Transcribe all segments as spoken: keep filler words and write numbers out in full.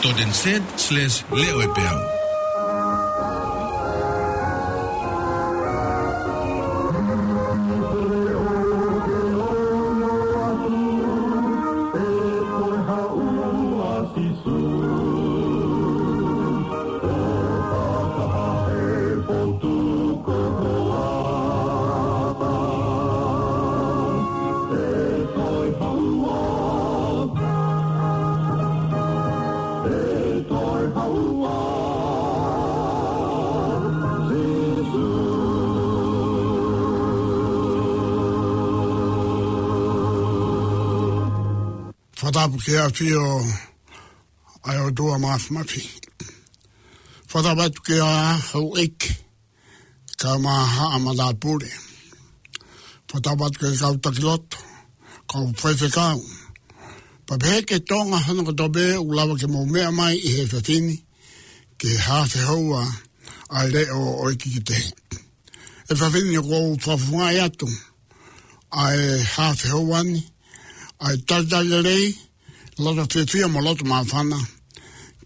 dot N Z slash leʻo e peau. Fakatapu ki he ʻafio ʻa e ʻOtua Māfimafi. Fakatapu atu ki he houʻeiki, kae ʻumaʻā haʻa matāpule. Fakatapu atu ki he kau taki lotu, kau faifekau. Pea pehē ki Tonga hono kotoa pē ʻoku lava ke mou meʻa mai ʻi he efiafi ni, ki he hafe houa ʻa e leʻo ʻo e kikite. ʻE fafine, ʻoku ou fakafofongaʻi atu ʻa e hafe houa ni, ʻa e talitali lelei, loto fiefia mo loto māfana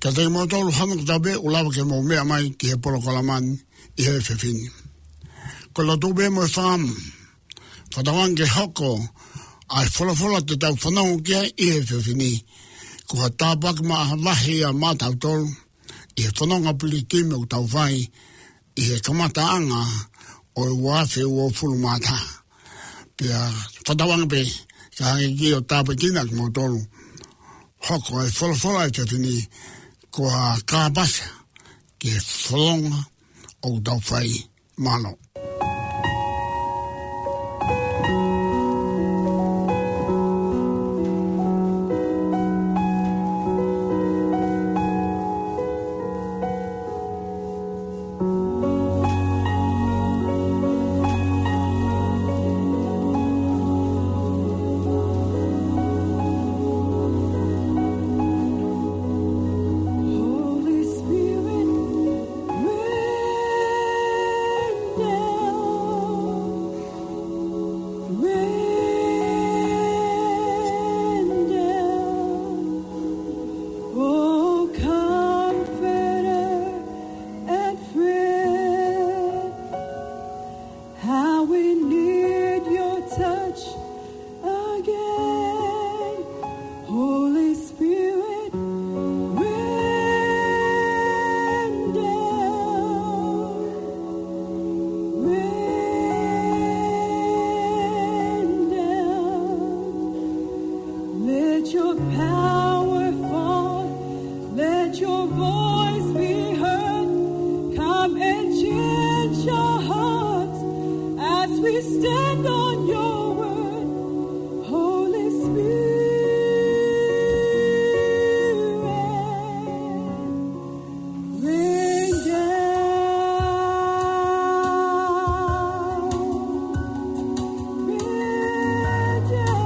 kiate kimoutolu hono kotoa pē ʻoku lava ke mou meʻa mai ki he polokalama ni ʻi he efiafi ni. Ko e lotu pē mo e fakaʻamu, fakatauange ke hoko ʻa e folofola te tau fanongo ki ai ʻi he efiafi ni ko ha tāpuaki māvahevahe ia maʻatautolu ʻi he fononga pilikimi ʻoku tau fai ʻi he kamataʻanga ʻo e ua afe uofulu mā taha. Pea fakatauange pē ke hangē ko ia ʻoku tāpuekina kimoutolu, hoko e folofola ʻo e efiafi ni ko ha kāpasa ki he fononga ʻoku tau fai. Mālō. Holy Spirit, rain down, rain down, oh, Comforter and friend. How we need your touch again. Holy Spirit, rain down, rain down. Let your power fall. Let your voice be heard. Come and change our hearts as we stand on your word. Holy Spirit, rain down, rain down.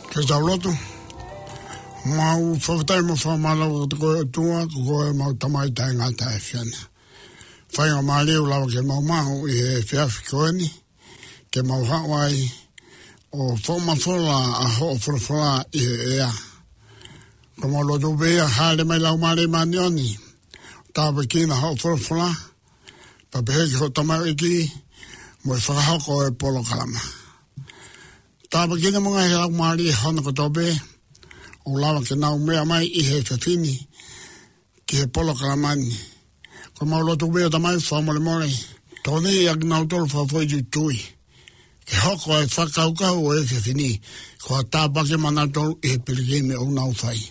Ke tau lotu. Mau fakafetaʻi mo fakamālō kiate koe ʻOtua, ko koe ʻemau Tamai taʻengata ʻa e ʻAfiona. Faingamālie ʻoku lava ke mau maʻu ʻi he efiafi ko eni, ke mau haʻu ai ʻo fakamafola ʻa hoʻo folofola ʻi he ʻea. Ko ʻemau lotu pē ia, hāʻele mai Laumālie Māʻoniʻoni, tāpuekina hoʻo folofola, pea pehē ki hoʻo tamaioʻeiki, mo e fakahoko ʻo e polokalama. Tāpuekina mo e ngaahi laumālie hono kotoa pē, ʻoku lava ke nau meʻa mai ʻi he efiafi ni, ki he polokalama ni. Ko ʻemau lotu pē ia Tamai, fakamolemole. Tokoniʻi ʻakinautolu fakafoʻituitui. Ke hoko e fakakaukau ʻo e efiafi ni, ko ha tāpuaki maʻanautolu ʻi he pilikimi ʻoku nau fai.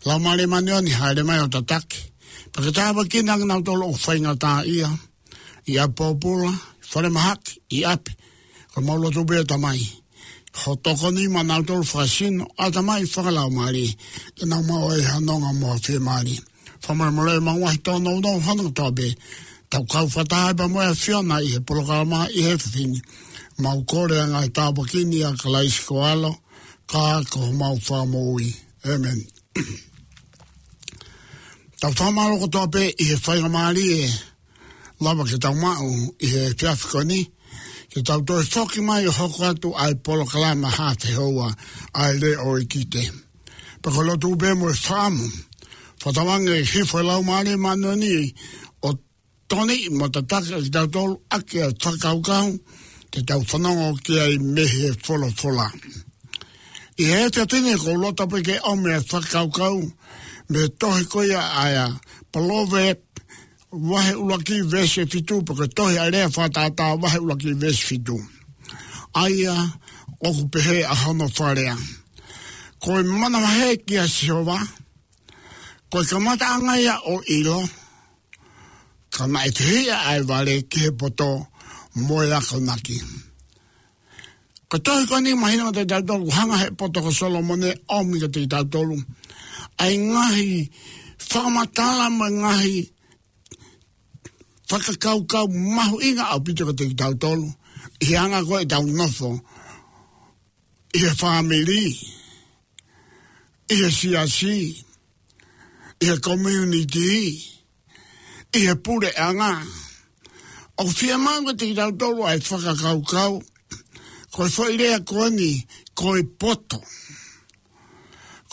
Laumālie Māʻoniʻoni, hāʻele mai ʻo tataki. Pea ke tāpuekina ʻakinautolu ʻoku faingataʻaʻia, ʻi ʻapi pōpula, falemahaki, ʻi ʻapi. Ko ʻemau lotu pē ia Tamai, hoʻo tokoni maʻanautolu fakasino, ʻatamai, fakalaumālie, ke nau maʻu ai ha nonga mo ha fiemālie. Fakamolemole ʻemau ngaahi tōnounou hono kotoa pē. Tau kau fakataha pea mo e ʻAfiona ʻi he polokalama ʻi he efiafi ni. Mau kole ʻa e ngaahi tāpuaki ni ʻia Kalaisi ko ho ʻAlo, ka ko homau Fakamoʻui. ʻĒmeni. Tau fakamālō kotoa pē ʻi he faingamālie ʻe lava ke tau maʻu ʻi he efiafi ko eni, ke tau toe foki mai ʻo hoko atu ʻa e polokalama Haʻa Fehoua ʻa e Leʻo ʻo e ʻEikite. Pea ko e lotu pē mo e fakaʻamu, fakatauange ʻe hifo e Laumālie Māʻoniʻoni ʻo tokoniʻi mo tataki ʻakitautolu ʻaki ʻa e fakakaukau te tau fanongo ki ai mei he folofola. ʻI he efiafi ni ʻoku ou loto pē ke ʻomi ʻa e fakakaukau mei he tohi ko ia ʻa e Palōvepi vahe ʻuluaki veesi fitu, pea ko e tohi ʻa e Lea Fakatātā vahe ʻuluaki veesi fitu. ʻA ia ʻoku pehē ʻa hono fakalea: Ko e manavahē kia Sihova, ko e kamataʻanga ia ʻo e ʻilo, ka naʻe fehiʻa ʻa e vale ki he poto mo e akonaki. Ko e tohi ko eni mahino kiate kitautolu, ʻoku hanga he poto ko Solomone ʻo ʻomi kiate kitautolu ʻa e ngaahi fakamatala mo e ngaahi fakakaukau mahuʻinga ʻaupito kiate kitautolu, ʻi he anga ko ē ʻetau nofo, ʻi he fāmili, ʻi he siasi, ʻi he community, ʻi he puleʻanga. ʻOku fiemaʻu kiate kitautolu ʻa e fakakaukau, ko e foʻi lea ko eni, ko e poto.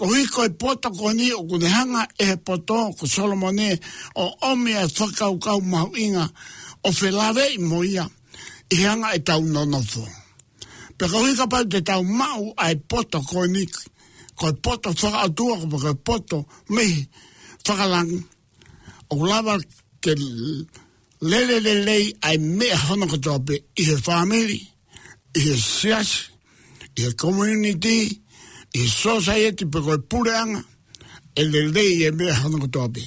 Koeʻuhi ko e poto ko eni ʻoku ne hanga ʻe he poto ko Solomone ʻo ʻomi ʻa e fakakaukau mahuʻinga ʻo felāveʻi mo ia ʻi he anga ʻetau nonofo. Pea koeʻuhi kapau te tau maʻu ʻa e poto ko eni, ko e poto fakaʻotua, ko e poto mei fakalangi, ʻoku lava ke lele lelei ʻa e meʻa hono kotoa pē, ʻi he fāmili, ʻi he siasi, ʻi he community, ʻi he society pe ko e puleʻanga, ʻe lelei e meʻa hono kotoa pē.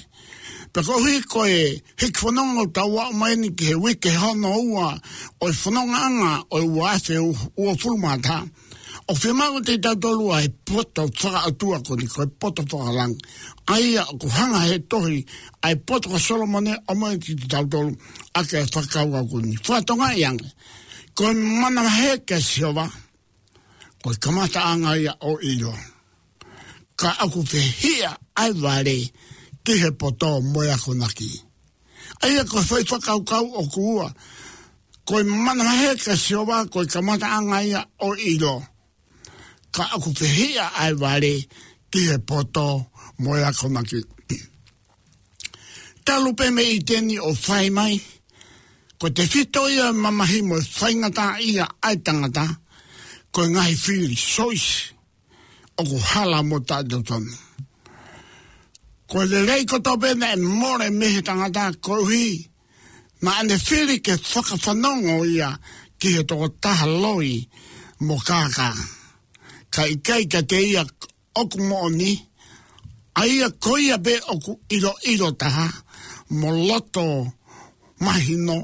Pea koeʻuhi ko e hiki fononga ʻoku tau aʻu mai eni ki he uike hono ua ʻo e fonongaʻanga ʻo e ua afe uofulu mā taha, ʻoku fiemaʻu kiate kitautolu ʻa e poto fakaʻotua ko eni, ko e poto fakalangi. ʻA ia ʻoku hanga he tohi ʻa e poto ko Solomone ʻo ʻomai kiate kitautolu ʻaki ʻa e fakakaukau ko eni. Fakatokangaʻi ange, ko e manavahē kia Sihova, ko e kamataʻanga ia ʻo e ʻilo, ka ʻoku fehiʻa ʻa e vale ki he poto mo e akonaki. ʻA ia ko e foʻi fakakaukau ʻoku ua, ko e manavahē kia Sihova, ko e kamataʻanga ia ʻo e ʻilo, ka ʻoku fehiʻa ʻa e vale ki he poto mo e akonaki. Talu pē mei ʻĪteni ʻo fai mai, ko e tefito ia ʻo e mamahi mo e faingataʻaʻia ʻa e tangata, ko e ngaahi fili, choice, ʻoku hala mo taʻetotonu. Ko e lelei kotoa pē naʻe mole mei he tangata koeʻuhi naʻa ne fili ke fakafanongo ia ki he tokotaha loi mo kākā, kae ʻikai kiate ia ʻoku moʻoni, ʻa ia ko ia pē ʻoku ʻiloʻilo taha mo loto mahino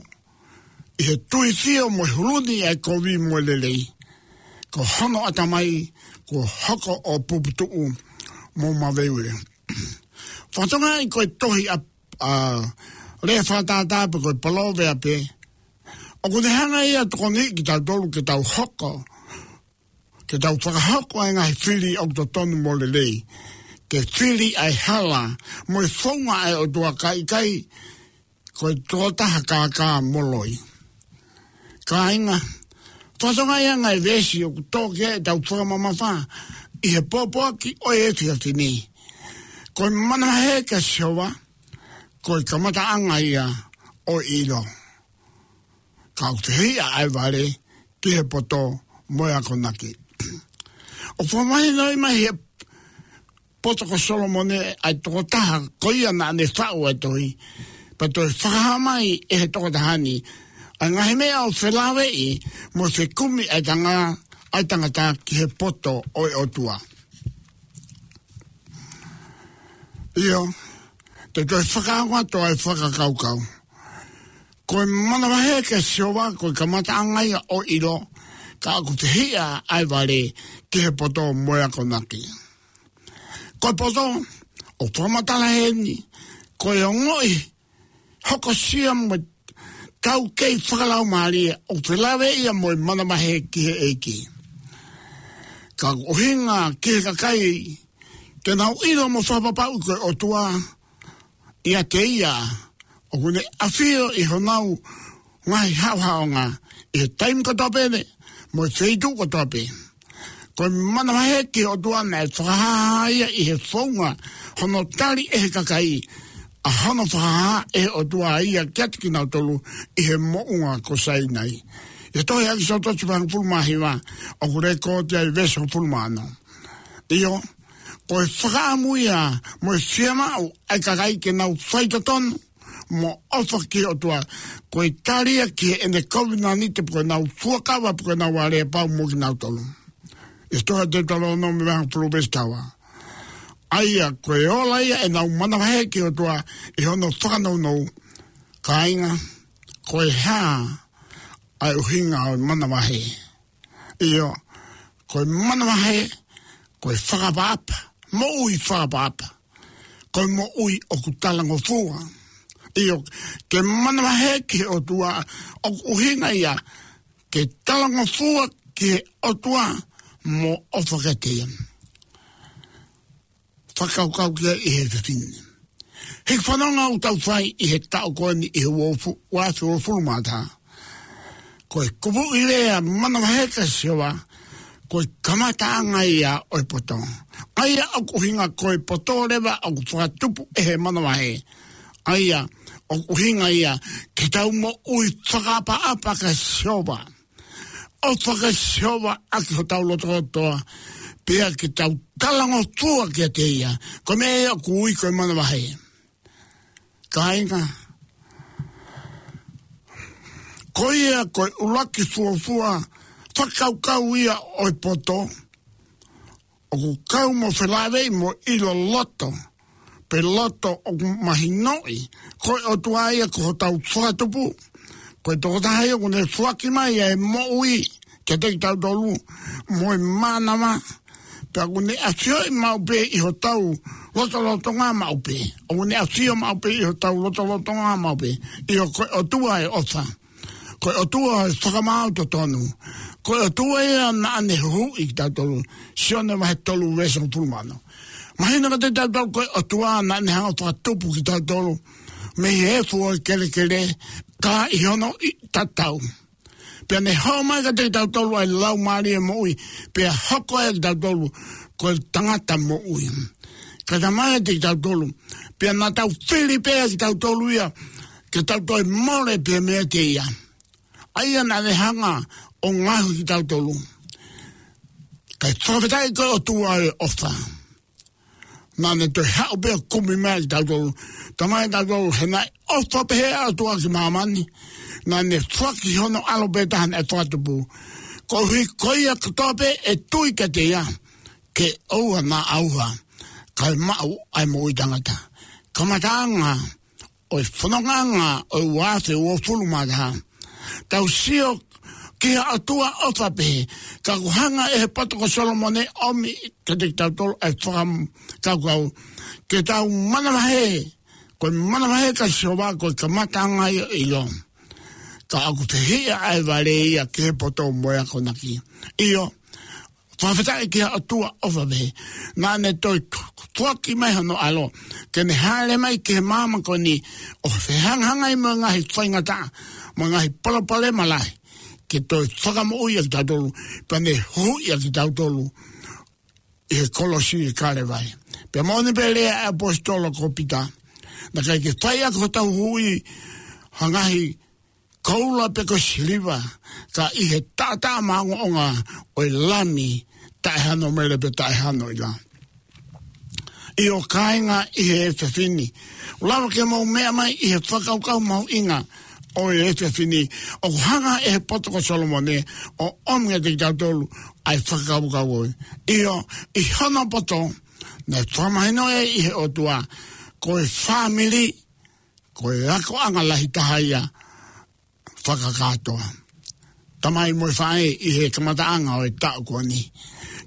ʻi he tui fio mo e huluni ʻa e kovi mo e lelei, ko hono ʻatamai kuo hoko ʻo puputuʻu mo maveuveu. Fakatokangaʻi ko e tohi ʻa, ʻa Lea Fakatātā pe ko e Palōvepi, ʻoku ne hanga ia ʻo tokoniʻi kitautolu ke tau hoko ke tau fakahoko ʻa e ngaahi fili ʻoku totonu mo lelei, ke fili ʻa e hala mo e founga ʻa e ʻOtua, kae ʻikai ko e tokotaha kākā mo loi. Kāinga, fatongia ia ʻa e veesi ʻoku tō ki ai ʻetau fakamamafa ʻi he pōpoaki ʻo e efiafi ni. Ko e manavahē kia Sihova, ko e kamataʻanga ia ʻo e ʻilo, ka ʻoku fehiʻa ʻa e vale ki he poto mo e akonaki. ʻOku fakamahinoʻi mai he poto ko Solomone ʻa e tokotaha ko ia naʻa ne faʻu ʻa e tohi, pea toe fakahā mai ʻe he tokotaha ni ʻa e ngaahi meʻa ʻoku felāveʻi mo fekumi ʻa e tanga-, ʻa e tangata ki he poto ʻo e ʻOtua. ʻIo, te u toe fakaongo atu ʻa e fakakaukau. Ko e manavahē kia Sihova, ko e kamataʻanga ia ʻo e ʻilo, ka ʻoku fehiʻa ʻa e vale ki he poto mo e akonaki. Ko e poto, ʻoku fakamatala heni, ko e ongoʻi hokosia mo e taukei fakalaumālie ʻoku felāveʻi ia mo e manavahē ki he ʻEiki. Ka ʻoku ʻuhinga ki he kakai ke nau ʻilo mo fakapapauʻi ko e ʻOtua ʻiate ia ʻoku ne ʻafio ʻi honau ngaahi haʻohaʻonga ʻi he taimi kotoa pē mo e feituʻu kotoa pē. Ko e manavahē ki he ʻOtua naʻe fakahā ia ʻi he founga hono tali ʻe he kakai ʻa hono fakahā ʻe he ʻOtua ia kiate kinautolu ʻi he moʻunga ko Sainai. ʻI he tohi ʻa ʻEkisoto vahe hongofulu mā hiva, ʻoku lekooti ai veesi hongofulu mā ono. ʻIo, ko e fakaʻamu ia mo e fiemaʻu ʻa e kakai ke nau faitotonu mo ʻofa ki he ʻOtua, ko e tali ia ki heʻene kovinānite pe ko ʻenau fuakava pe ko ʻenau aleapau mo kinautolu. ʻI he tohi ʻa Teutalōnome vahe hongofulu veesi taha ua. ʻA ia, ko e ola ia ʻenau manavahē ki he ʻOtua ʻi hono fakanounou. Kāinga, ko e hā ʻa e ʻuhinga ʻo e manavahē? ʻIo, ko e manavahē, ko e fakaʻapaʻapa, moʻui fakaʻapaʻapa. Ko e moʻui ʻoku talangofua. ʻIo, ke manavahē ki he ʻOtua, ʻoku ʻuhinga ia ke talangofua ki he ʻOtua mo ʻofa kiate ia. Fakakaukau ki ai ʻi he efiafi ni. He fanongo ʻoku tau fai ʻi he taʻu ko eni ʻi he uofu-, uaafe uofulu mā taha. Ko e kupuʻi lea manavahē kia Sihova, ko e kamataʻanga ia ʻo e poto. ʻA ia ʻoku ʻuhinga ko e poto leva ʻoku fakatupu ʻe he manavahē. ʻA ia ʻoku ʻuhinga ia ke tau moʻui fakaʻapaʻapa kia Sihova. ʻOfa kia Sihova ʻaki hotau lotolotoa, pea ke tau talangofua kiate ia. Ko e meʻa ia ʻoku ui ko e manavahē. Kāinga, ko ia ko e ʻuluaki fuofua fakakaukau ia ʻo e poto, ʻoku kau mo felāveʻi mo e ʻilo loto, pe loto ʻoku mahinoʻi ko e ʻOtua ia ko hotau fakatupu. Ko e tokotaha ia ʻoku ne foaki mai ʻa e moʻui kiate kitautolu mo e mānava, pea ʻoku ne ʻafioʻi maʻu pē ʻi hotau lotolotonga maʻu pē. ʻOku ne ʻafio maʻu pē ʻi hotau lotolotonga maʻu pē. ʻIo, ko e ʻOtua ʻo e ʻofa. Ko e ʻOtua ʻo e fakamaau totonu. Ko e ʻOtua ia naʻa ne huhuʻi kitautolu. Sione vahe tolu veesi hongofulu mā ono. Mahino kiate kitautolu ko e ʻOtua naʻa ne hanga ʻo fakatupu kitautolu mei he efu ʻo e kelekele, ka ʻi hono ʻi tatau. Pea ne hao mai kiate kitautolu ʻa e Laumālie Moʻui, pea hoko ai kitautolu ko e tangata moʻui. Ka talamai kiate kitautolu, pea naʻa tau fili pē kitautolu ia, ke tau toe mole pē meiate ia. ʻA ia naʻa ne hanga ʻo ngaohi kitautolu. Kae fakafetaʻi ko e ʻOtua ʻo e ʻofa. Naʻa ne toe haʻu pē ʻo kumi mai kitautolu. Talamai kitautolu, he naʻe ʻofa pehē ʻa e ʻOtua ki māmani, naʻa ne foaki hono ʻAlo pē taha naʻe fakatupu, koeʻuhi ko ia kotoa pē ʻe tui kiate ia, ke ʻoua naʻa ʻauha, kae maʻu ʻa e moʻui taʻengata. Kamataʻanga ʻo e fonongaʻanga ʻo e uaafe uofulu mā taha. Tau sio ki he ʻOtua ʻofa pehē, ka ʻoku hanga ʻe he poto ko Solomone ʻo ʻomi kiate kitautolu ʻa e fakakaukau ke tau manavahē, ko e manavahē kia Sihova ko e kamataʻanga ia ʻo e ʻilo. Ka ʻoku fehiʻa ʻa e vale ia ki he poto mo e akonaki. ʻIo, Fakafetaʻi ki he ʻOtua ʻofa pehē. Naʻa ne toe tuaki mai hono ʻAlo ke ne hāʻele mai ki he māmani ko eni ʻo fehangahangai mo e ngaahi faingataʻa, mo e ngaahi palopalema lahi, ke toe fakamoʻui ʻa kitautolu, pea ne huhuʻi ʻa kitautolu ʻi he kolosi ʻi Kalevale. Pea moʻoni pē lea ʻa e ʻaposetolo ko Pita, naʻe ʻikai ke fai ʻaki hotau huhuʻi ha ngaahi koula pe ko e siliva, ka ʻi he taʻataʻa maʻongoʻonga ʻo e Lami taʻehano mele pe taʻehano ʻila. ʻIo kāinga ʻi he efiafi ni, ʻoku lava ke mou meʻa mai ʻi he fakakaukau mahuʻinga ʻo e efiafi ni, ʻoku hanga ʻe he poto ko Solomone ʻo ʻomi kiate kitautolu ʻa e fakakaukau ko ē. ʻIo, ʻi hono poto, naʻe fakamahinoʻi ʻe he ʻOtua ko e fāmili, ko e akoʻanga lahi taha ia fakakātoa. Tamai mo e faʻē ʻi he kamataʻanga ʻo e taʻu ko eni.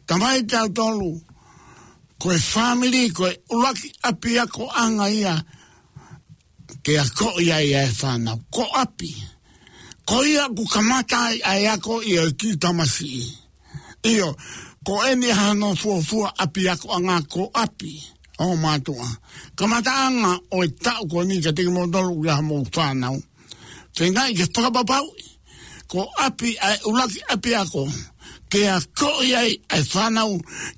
Tamai, tautolu, ko e fāmili, ko e ʻuluaki ʻapiakoʻanga ia ke akoʻi ai ʻa e fānau. Ko ʻapi. Ko ia ʻoku kamata ai ʻa e ako ʻa e kiʻi tamasiʻi. ʻIo, ko eni hano fuofua ʻapiakoʻanga ko ʻapi, ongo mātuʻa. Kamataʻanga ʻo e taʻu ko eni kiate kimoutolu ʻoku ʻi ai hamou fānau. Feingaʻi ke fakapapauʻi ko ʻapi ʻa e ʻuluaki ʻapiako ke akoʻi ai ʻa e fānau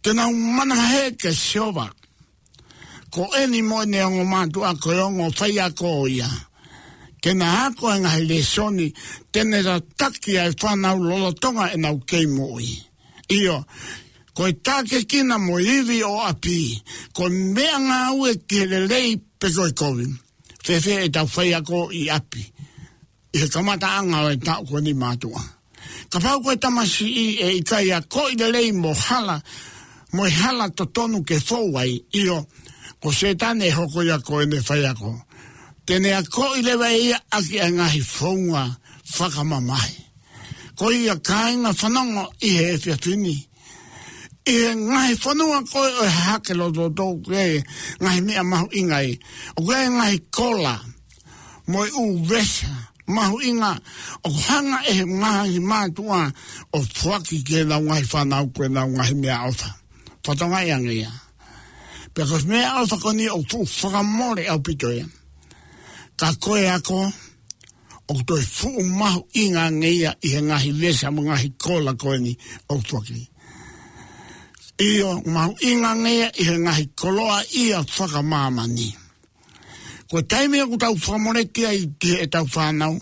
ke nau manavahē kia Sihova. Ko eni mo ʻene ongo mātuʻa ko e ongo faiako ia. Ke na ako e ngaahi lēsoni te ne tataki ai e fānau lolotonga ʻenau kei moʻui. ʻIo, ko e tākiekina mo e ivi ʻo ʻapi, ko e meʻangāue ki he lelei pe ko e kovi. Fēfē ʻetau faiako ʻi ʻapi ʻi he kamataʻanga ʻo e taʻu ko eni, mātuʻa? Kapau ko e tamasiʻi ʻe ʻikai akoʻi lelei mo hala, mo e hala totonu ke fou ai, ʻio, ko Sētane ʻe hoko ia ko ʻene faiako. Te ne akoʻi leva ʻe ia ʻaki ʻa e ngaahi founga fakamamahi. Ko ia, kāinga, fanongo ʻi he efiafi ni, ʻi he ngaahi fonua ko ē ʻo e hahake lototoʻa, ko e ngaahi meʻa mahuʻinga ē, ʻoku ʻi ai e ngaahi kola mo e ʻū vesa mahuʻinga ʻoku hanga ʻe he ngaahi mātuʻa ʻo foaki ki heʻenau ngaahi fānau ko ʻenau ngaahi meʻaʻofa. Fakatokangaʻi ange ia. Pea ko e meʻaʻofa ko eni ʻoku fuʻu fakamole ʻaupito ia. Ka ko e ako, ʻoku toe fuʻu mahuʻinga ange ia ʻi he ngaahi vesa mo e ngaahi kola ko eni ʻoku foaki. ʻIo, mahuʻinga ange ia ʻi he ngaahi koloaʻia fakamāmani. Ko e taimi ʻoku tau fakamoleki ai ki heʻetau fānau,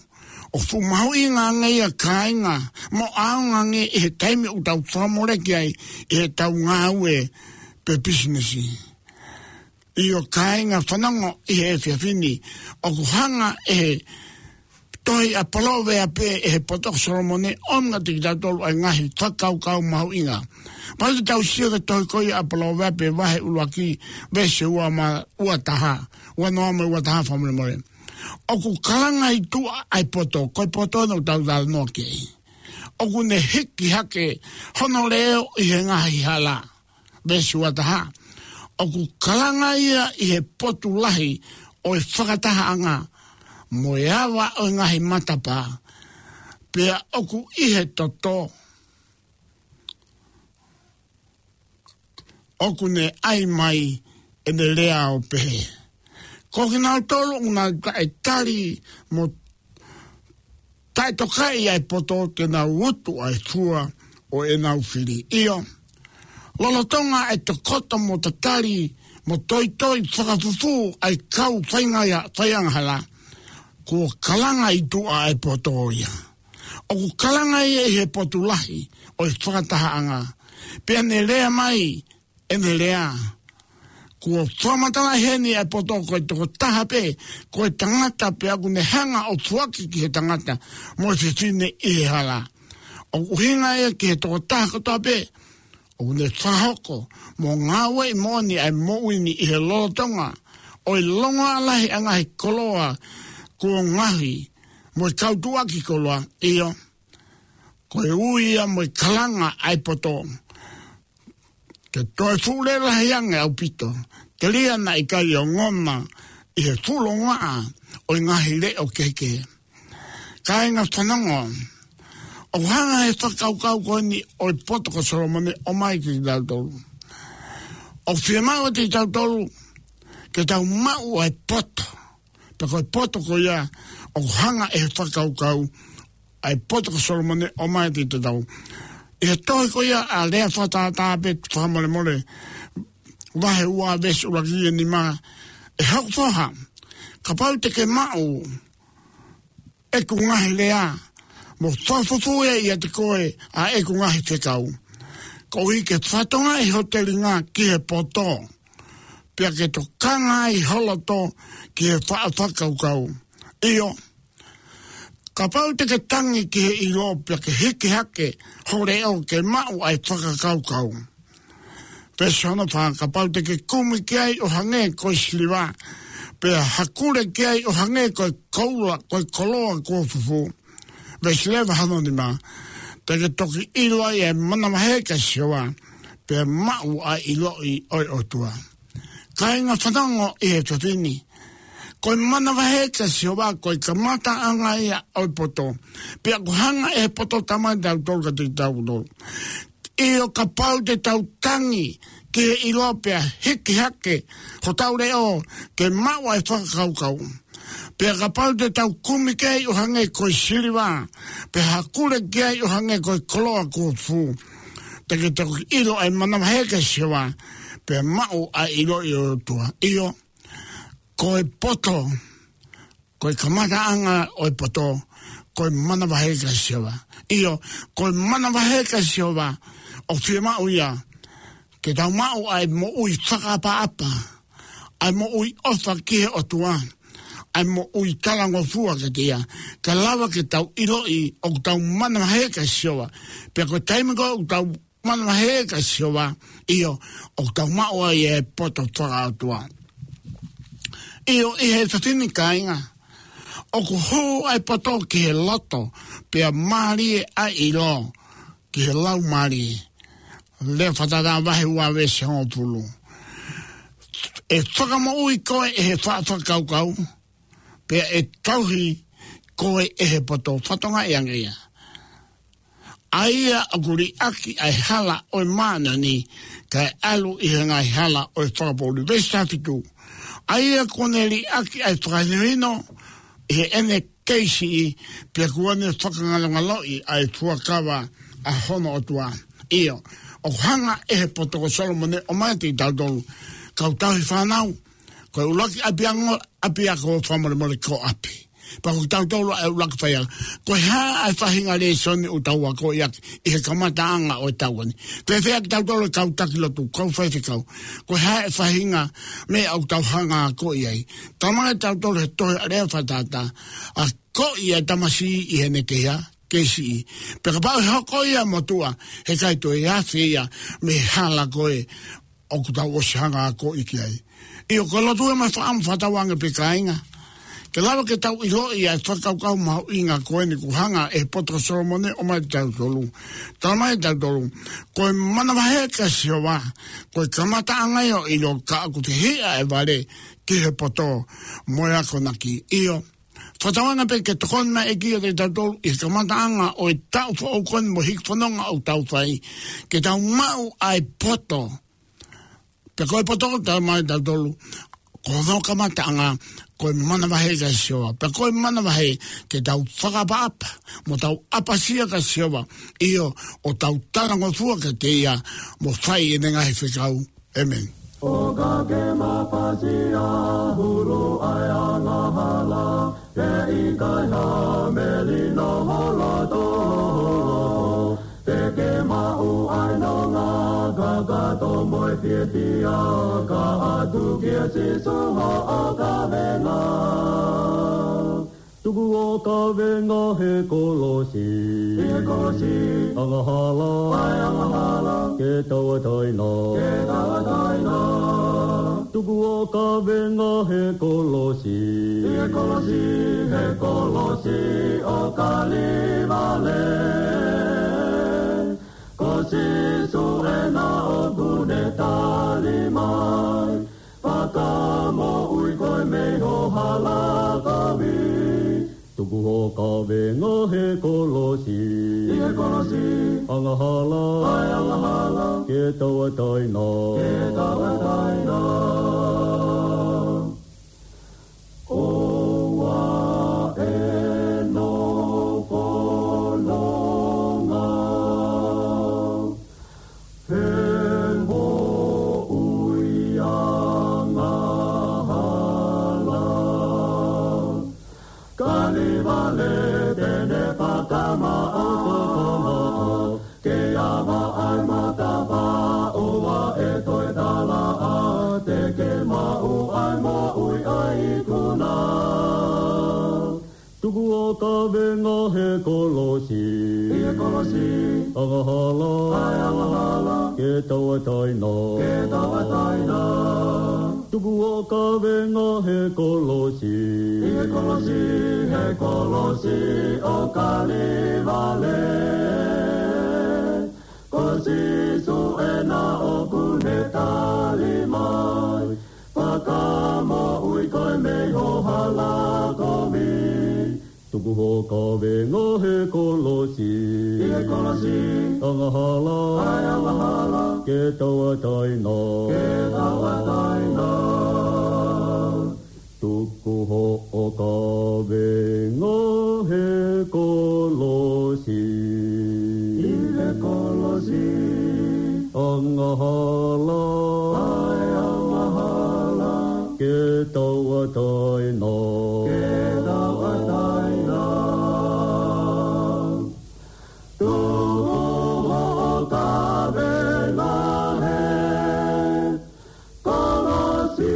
ʻoku fuʻu mahuʻinga ange ia, kāinga, mo ʻaonga ange ʻi he taimi ʻoku tau fakamoleki ai ʻi heʻetau ngāue pe pisinisi. ʻIo, kāinga, fanongo ʻi he efiafi ni, ʻoku hanga ʻe he tohi ʻa Poloveape, ʻe he poto ko Solomone, ʻo ʻomi kiate kitautolu ʻa e ngaahi fakakaukau mahuʻinga. Pea ʻoku tau sio ki he tohi ko ia ʻa Poloveape vahe ʻuluaki, veesi ua ma-, ua taha, ua noa mo e ua taha, fakamolemole. ʻOku kalanga ʻi tuʻa ʻa e poto, ko e poto eni ʻoku tau talanoa ki ai. ʻOku ne hiki hake hono leʻo ʻi he ngaahi hala. Veesi ua taha. ʻOku kalanga ia ʻi he potu lahi ʻo e fakatahaʻanga, mo e ava ʻo e ngaahi matapā. Pea ʻoku ʻi he toto, ʻoku ne ʻai mai ʻene lea ʻo pehē: Ko kinautolu ʻoku nau taʻetali mo taʻetokaʻi ʻa e poto, te nau utu ʻa e fua ʻo ʻenau fili. ʻIo, lolotonga ʻa e tokoto mo tatali mo toitoi fakafufū ʻa e kau faingaia-, faiangahala, kuo kalanga ʻi tuʻa ʻa e poto ia. ʻOku kalanga ia ʻi he potu lahi ʻo e fakatahaʻanga. Pea ne lea mai ʻene lea. Kuo fakamatalaʻi heni ʻa e poto ko e tokotaha pē, ko e tangata, pea ʻoku ne hanga ʻo foaki ki he tangata mo e fefine ʻi he hala. ʻOku ʻuhinga ia ki he tokotaha kotoa pē ʻoku ne fakahoko mo ngāueʻi moʻoni ʻa e moʻui ni ʻi he lolotonga ʻo e longoaʻa lahi ʻa e ngaahi koloa kuo ngaohi mo e kau tuʻuaki koloa. ʻIo, ko e ui ia mo e kalanga ʻa e poto. Ke toe fuʻu lelahi ange ʻaupito, telia naʻe ʻikai ongona ʻi he fuʻu longoaʻa ʻo e ngaahi leʻo kehekehe. Kāinga, fanongo, ʻOku hanga ʻe he fakakaukau ko eni ʻo e poto ko Solomone ʻo ʻomai kiate kitautolu. ʻOku fiemaʻu kiate kitautolu ke tau maʻu ʻa e poto. Pea ko e poto ko ia ʻoku hanga ʻe he fakakaukau ʻa e poto ko Solomone ʻo ʻomai kiate kitautolu. ʻI he tohi ko ia ʻa Lea Fakatātā pe Fakamolemole, vahe ua veesi ʻuluaki ki he nima, ʻE hoku foha, kapau te ke maʻu ʻeku ngaahi lea, mo fakafufū ʻiate koe ʻa ʻeku ngaahi fekau, koeʻuhi ke fatongaʻi ho telinga ki he poto, pea ke tokanga ai ho loto ki he faʻa fakakaukau. ʻIo, kapau te ke tangi ki he ʻilo, pea ke hiki hake ho leʻo ke maʻu ʻa e fakakaukau. Veesi hono fā, kapau te ke kumi ki ai ʻo hangē ko e siliva, pea hakule ki ai ʻo hangē ko e koula, ko e koloa kuo fufū. Veesi leva hono nima, te ke toki ʻilo ai ʻa e manavahē kia Sihova, pea maʻu ʻa e ʻiloʻi ʻo e ʻOtua. Kāinga, fanongo ʻi he efiafi ni. Ko e manavahē kia Sihova, ko e kamataʻanga ia ʻo e poto. Pea ʻoku hanga ʻe he poto ʻo ʻomai kiate kitautolu, kiate kitautolu. ʻIo, kapau te tau tangi ki he ʻilo pea hiki hake hotau leʻo ke maʻu ʻa e fakakaukau. Pea kapau te tau kumi ki ai ʻo hangē ko e siliva, pea hakule ki ai ʻo hangē ko e koloa kuo fufū, te ke toki ʻilo ʻa e manavahē kia Sihova, pea maʻu ʻa e ʻiloʻi ʻo e ʻOtua. ʻIo, ko e poto, ko e kamataʻanga ʻo e poto, ko e manavahē kia Sihova. ʻIo, ko e manavahē kia Sihova, ʻoku fiemaʻu ia ke tau maʻu ʻa e moʻui fakaʻapaʻapa, ʻa e moʻui ʻofa ki he ʻOtua, ʻa e moʻui talangofua kiate ia, kae lava ke tau ʻiloʻi ʻoku tau manavahē kia Sihova. Pea ko e taimi ko ē ʻoku tau manavahē kia Sihova, ʻio, ʻoku tau maʻu ai e poto fakaʻotua. ʻIo, ʻi he efiafi ni, kāinga, ʻoku hū ʻa e poto ki he loto, pea mālie ʻa e ʻilo ki he laumālie. Lea Fakatātā vahe ua veesi hongofulu. ʻE fakamoʻui koe ʻe he faʻa fakakaukau, pea ʻe tauhi koe ʻe he poto. Fatongia ia. ʻA ia ʻoku liʻaki ʻa e hala ʻo e māʻoniʻoni, kae ʻalu ʻi he ngaahi hala ʻo e fakapoʻuli. Veesi taha fitu. ʻA ia kuo ne liʻaki ʻa e fakahinohino ʻi heʻene kei siʻi, pea kuo ne fakangalongaloʻi ʻa e fuakava ʻa hono ʻOtua. ʻIo, ʻoku hanga ʻe he poto ko Solomone ʻo ʻomai kiate kitautolu, kau tauhi fānau, ko e ʻuluaki ʻapiako, ʻapiako fakamolemole ko ʻapi. Pea ko kitautolu ʻa e ʻuluaki faiako. Ko e hā ʻa e faʻahinga lēsoni ʻoku tau akoʻi ʻaki ʻi he kamataʻanga ʻo e taʻu ni? Fēfē kitautolu e kau taki lotu, kau faifekau? Ko e hā e faʻahinga meʻa ʻoku tau hanga akoʻi ai? Talamai kiate kitautolu he tohi ʻa Lea Fakatātā, akoʻi ʻa e tamasiʻi ʻi heʻene kei siʻi. Pea kapau ʻe hoko ia motuʻa, heʻikai toe afe ia mei he hala ko ē ʻoku tau ʻosi hanga akoʻi ki ai. ʻIo, ko e lotu ē mo e fakaʻamu fakatauange pē, kāinga, ke lava ke tau ʻiloʻi ʻa e fakakaukau mahuʻinga ko eni kuo hanga ʻe he poto ko Solomone ʻo ʻomai kiate kitautolu. Talamai kiate kitautolu, ko e manavahē kia Sihova, ko e kamataʻanga ia ʻo e ʻilo, ka ʻoku fehiʻa ʻa e vale ki he poto mo e akonaki. ʻIo, fakatauange pē ke tokoni mai e ʻEiki kiate kitautolu ʻi he kamataʻanga ʻo e taʻu foʻou ko eni mo e hiki fononga ʻoku tau fai, ke tau maʻu ʻa e poto. Pea ko e poto, talamai kiate kitautolu, ko hono kamataʻanga ko e manavahē kia Sihova. Pea ko e manavahē ke tau fakaʻapaʻapa mo tau ʻapasia kia Sihova, ʻio, ʻo tau talangofua kiate ia mo fai ʻene ngaahi fekau. ʻĒmeni. ʻO ka ke mafasia hulu ʻa e angahala, ʻe ʻikai ha melino ho loto. Te ke maʻu ʻa e nonga kakato mo e fiefia, ka ʻatu kia Sīsū hoʻo kavenga. Tuku hoʻo kavenga he kolosi. He kolosi. Angahala. ʻA e angahala. Ke tauʻatāina. Ke tauʻatāina. Tuku hoʻo kavenga he kolosi. He kolosi, he kolosi ʻo Kalevale. Ko Sīsū ena ʻoku ne tali mai, fakamoʻui koe mei ho hala kovi. Tuku hoʻo kavenga he kolosi. ʻI he kolosi. Angahala. ʻA e angahala. Ke tauʻatāina. Ke tauʻatāina. ʻOua ʻe nofo nonga. He moʻui angahala. Kalevale te ne fakamaʻopoʻopo. Ke ava ai matapā ʻoua ʻe toe talaʻa. Te ke maʻu ai moʻui ʻa e ikuna. Tuku hoʻo kavenga he kolosi. ʻI he kolosi. Angahala. ʻA e angahala. Ke tauʻatāina. Ke tauʻatāina. Tuku hoʻo kavenga he kolosi. ʻI he kolosi, he kolosi ʻo Kalevale. Ko Sīsū ena ʻoku ne tali mai. Fakamoʻui koe mei ho hala kovi. Tuku hoʻo kavenga he kolosi. ʻI he kolosi. Angahala. ʻA e angahala. Ke tauʻatāina. Ke tauʻatāina. Tuku hoʻo kavenga he kolosi. ʻI he kolosi. Angahala. ʻA e angahala. Ke tauʻatāina. Ke tauʻatāina. Tuku hoʻo kavenga he kolosi.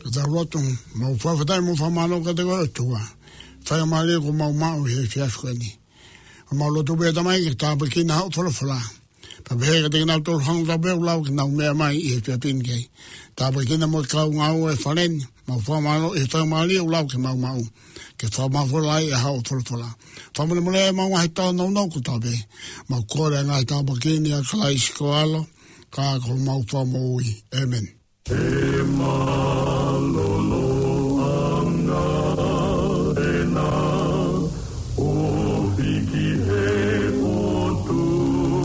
Ka tau lotu. Mau fakafetaʻi mo fakamālō kiate koe ʻOtua. Faingamālie kuo mau maʻu he efiafi ko eni. Mau lotu pē Tamai ke tāpuekina hoʻo folofola. Pea pehē kiate kinautolu hangē ko e lau ke nau meʻa mai ʻi he efiafi ni ki ai. Tāpuekina mo e kau ngāue he fale ni. Mau fakamālō ʻi he faingamālie ʻoku lau ke mau maʻu. Ke fakamafola ai ʻa hoʻo folofola. Fakamolemole ʻemau ngaahi tōnounou kotoa pē. Mau kole ʻa e ngaahi tāpuaki ni ʻia Kalaisi ko ho ʻAlo. Ka ko homau Fakamoʻui. ʻĒmeni. He mālōlō ʻanga ena ʻo hiki he ʻOtua,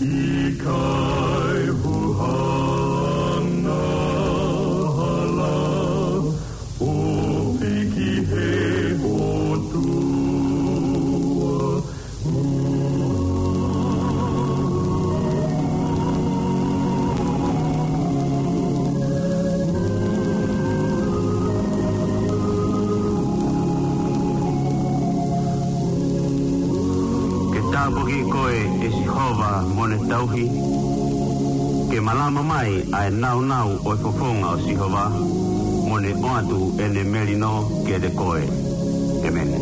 ʻikai huhanga hala ʻo hiki he ʻOtua. Ke tāpuaki koe ʻe Sihova mo ʻene tauhi. Ke malama mai ʻa e nāunau ʻo e fofonga ʻo Sihova, mo ne ʻoatu ʻene melino kiate koe. ʻĒmeni.